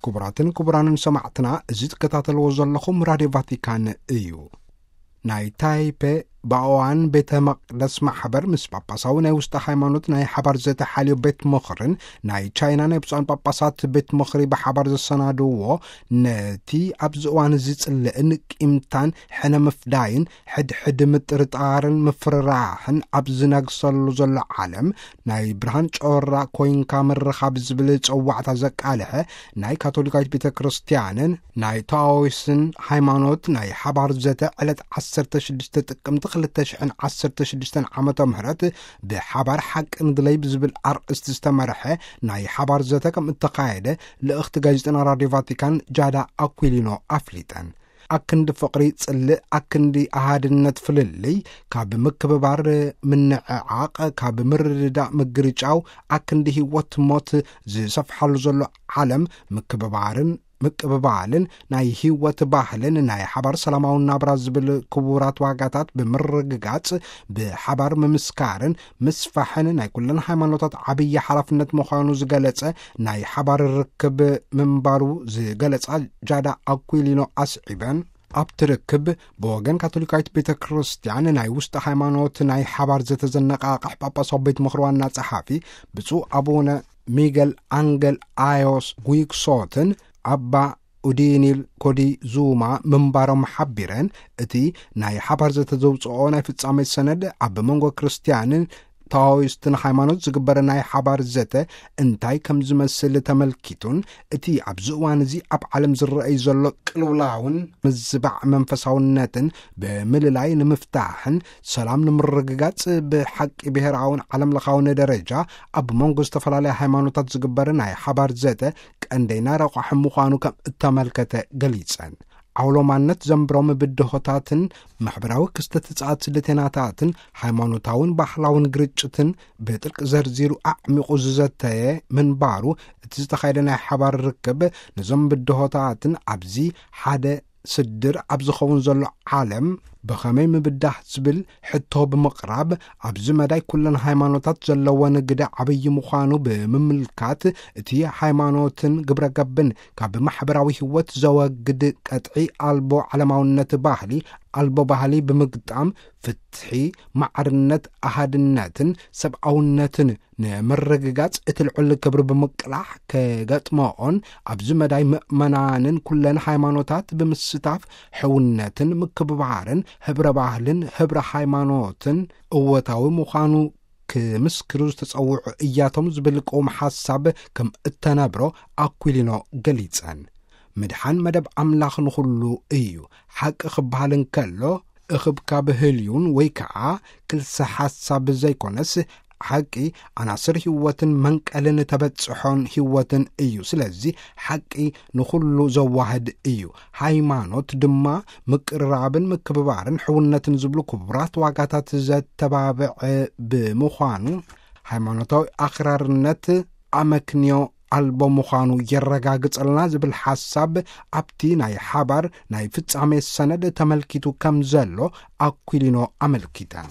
ክቡራትን ክቡራንን ሰማዕትና፣ እዚ ትከታተልዎ ዘለኹም ራድዮ ቫቲካን እዩ። ናይ ታይፔ ባኦዋን ቤተ መቕደስ ማሕበር ምስ ጳጳሳዊ ናይ ውሽጢ ሃይማኖት ናይ ሓባር ዘተ ሓልዮ ቤት ምኽርን ናይ ቻይና ናይ ብፁዓን ጳጳሳት ቤት ምኽሪ ብሓባር ዘሰናድዎ፣ ነቲ ኣብዚ እዋን እዚ ጽልእን ቂምታን ሕነ ምፍዳይን ሕድሕድ ምጥርጣርን ምፍርራሕን ኣብ ዝነግሰሉ ዘሎ ዓለም፣ ናይ ብርሃን ጮራ ኮይንካ ምርኻብ ዝብል ጸዋዕታ ዘቃልሐ ናይ ካቶሊካዊት ቤተ ክርስቲያንን ናይ ታኦይስን ሃይማኖት ናይ ሓባር ዘተ ዕለት ዓሰርተ ሽዱሽተ ጥቅምቲ ክልተ ሽሕን ዓሰርተ ሽዱሽተን ዓመተ ምህረት ብሓባር ሓቂ ንድለይ ብዝብል ኣርእስቲ ዝተመርሐ ናይ ሓባር ዘተ ከም እተኻየደ ልእኽቲ ጋዜጠና ራድዮ ቫቲካን ጃዳ ኣኩሊኖ ኣፍሊጠን። ኣክንዲ ፍቕሪ ጽልእ፣ ኣክንዲ ኣሃድነት ፍልልይ፣ ካብ ምክብባር ምንዕዓቕ፣ ካብ ምርድዳእ ምግርጫው፣ ኣክንዲ ህይወት ሞት ዝሰፍሓሉ ዘሎ ዓለም ምክብባርን ምቅብባልን ናይ ህይወት ባህልን ናይ ሓባር ሰላማዊ ናብራ ዝብል ክቡራት ዋጋታት ብምርግጋጽ፣ ብሓባር ምምስካርን ምስፋሕን ናይ ኩለን ሃይማኖታት ዓብዪ ሓላፍነት ምዃኑ ዝገለጸ ናይ ሓባር ርክብ ምንባሩ ዝገለጻ ጃዳ ኣኩሊኖ ኣስዒበን፣ ኣብቲ ርክብ ብወገን ካቶሊካዊት ቤተ ክርስቲያን ናይ ውሽጢ ሃይማኖት ናይ ሓባር ዘተ ዘነቓቕሕ ጳጳሳዊ ቤት ምኽሪ ዋና ጸሓፊ ብፁዕ ኣቡነ ሚገል ኣንገል ኣዮስ ጉይክሶትን ኣባ ኡዲኒል ኮዲ ዙማ ምንባሮም ሓቢረን፣ እቲ ናይ ሓባር ዘተ ዘውፅኦ ናይ ፍጻሜ ሰነድ ኣብ መንጎ ክርስቲያንን ታኦይስትን ሃይማኖት ዝግበር ናይ ሓባር ዘተ እንታይ ከም ዝመስል ተመልኪቱን፣ እቲ ኣብዚ እዋን እዚ ኣብ ዓለም ዝረኣይ ዘሎ ቅልውላውን ምዝባዕ መንፈሳውነትን ብምልላይ ንምፍታሕን ሰላም ንምርግጋጽ ብሓቂ ብሔራውን ዓለም ለኻውን ደረጃ ኣብ መንጎ ዝተፈላለያ ሃይማኖታት ዝግበር ናይ ሓባር ዘተ ቀንደይና ረቋሒ ምዃኑ ከም እተመልከተ ገሊጸን። ዓውሎማነት ዘንብሮም ብድሆታትን ማሕበራዊ ክስተት ጸዓት ስደተናታትን ሃይማኖታውን ባህላውን ግርጭትን ብጥልቂ ዘርዚሩ ኣዕሚቑ ዝዘተየ ምንባሩ፣ እቲ ዝተኻየደ ናይ ሓባር ርክብ ነዞም ብድሆታትን ኣብዚ ሓደ ስድር ኣብ ዝኸውን ዘሎ ዓለም ብኸመይ ምብዳህ ዝብል ሕቶ ብምቕራብ፣ ኣብዚ መዳይ ኩለን ሃይማኖታት ዘለወን ግደ ዓብዪ ምዃኑ ብምምልካት፣ እቲ ሃይማኖትን ግብረ ገብን ካብ ማሕበራዊ ህይወት ዘወግድ ቀጥዒ ኣልቦ ዓለማውነት ባህሊ፣ ኣልቦ ባህሊ ብምግጣም፣ ፍትሒ፣ ማዕርነት፣ ኣሃድነትን ሰብኣውነትን ንምርግጋጽ እቲ ልዑል ክብሪ ብምቅላሕ፣ ከገጥመኦን ኣብዚ መዳይ ምእመናንን ኩለን ሃይማኖታት ብምስታፍ ሕውነትን ምክብባርን ህብረ ባህልን ህብረ ሃይማኖትን እወታዊ ምዃኑ ክምስክሩ ዝተጸውዑ እያቶም ዝብል ቅውም ሓሳብ ከም እተነብሮ ኣኩሊኖ ገሊጸን። ምድሓን መደብ ኣምላኽ ንኹሉ እዩ። ሓቂ ክበሃል እንከሎ፣ እኽብካብ ህልዩን ወይ ከኣ ክልሰ ሓሳብ ዘይኮነስ፣ ሓቂ ኣናስር ህይወትን መንቀልን ተበጽሖን ህይወትን እዩ። ስለዚ ሓቂ ንኹሉ ዘዋህድ እዩ። ሃይማኖት ድማ ምቅርራብን ምክብባርን ሕውነትን ዝብሉ ክቡራት ዋጋታት ዘተባብዕ ብምዃኑ፣ ሃይማኖታዊ ኣኽራርነት ኣመክንዮ ኣልቦ ምዃኑ የረጋግጸልና ዝብል ሓሳብ ኣብቲ ናይ ሓባር ናይ ፍጻሜ ሰነድ ተመልኪቱ ከም ዘሎ ኣኩሊኖ ኣመልኪተን።